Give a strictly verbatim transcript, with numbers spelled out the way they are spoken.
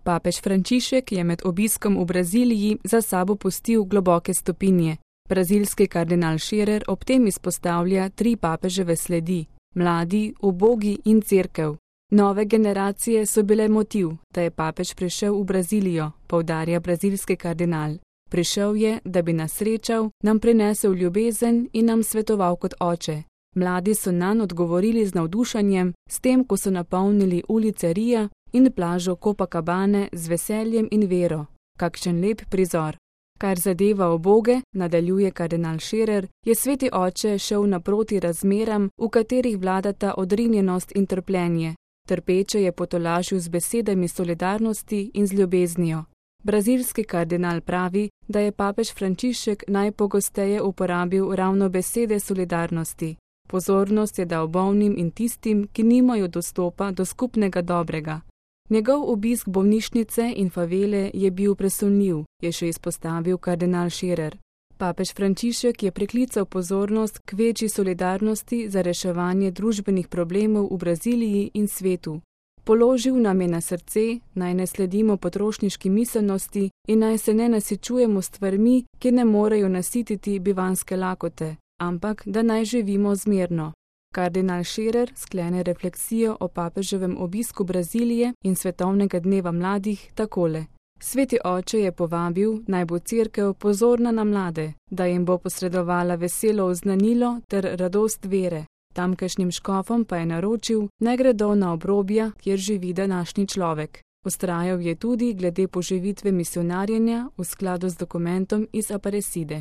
Papež Frančišek je med obiskom v Braziliji za sabo pustil globoke stopinje. Brazilski kardinal Scherer ob tem izpostavlja tri papeževe sledi: mladi, ubogi in cerkev. Nove generacije so bile motiv, da je papež prišel v Brazilijo, poudarja brazilski kardinal. Prišel je, da bi nas srečal, nam prinesel ljubezen in nam svetoval kot oče. Mladi so nanj odgovorili z navdušenjem, s tem, ko so napolnili ulice Rija in plažo Copacabane z veseljem in vero. Kakšen lep prizor. Kar zadeva uboge, nadaljuje kardinal Scherer, je sveti oče šel naproti razmeram, v katerih vladata odrinjenost in trpljenje. Trpeče je potolažil z besedami solidarnosti in z ljubeznijo. Brazilski kardinal pravi, da je papež Frančišek najpogosteje uporabil ravno besede solidarnosti. Pozornost je dal bolnim in tistim, ki nimajo dostopa do skupnega dobrega. Njegov obisk bolnišnice in favele je bil presunljiv, je še izpostavil kardinal Scherer. Papež Frančišek je priklical pozornost k večji solidarnosti za reševanje družbenih problemov v Braziliji in svetu. Položil nam je na srce, naj ne sledimo potrošniški miselnosti in naj se ne nasičujemo stvarmi, ki ne morejo nasititi bivanske lakote, ampak da naj živimo zmerno. Kardinal Scherer sklene refleksijo o papeževem obisku Brazilije in svetovnega dneva mladih takole. Sveti oče je povabil, naj bo cerkev pozorna na mlade, da jim bo posredovala veselo oznanilo ter radost vere. Tamkajšnjim škofom pa je naročil, naj gredo na obrobja, kjer živi današnji človek. Vztrajal je tudi glede poživitve misionarjenja v skladu z dokumentom iz Aparecide.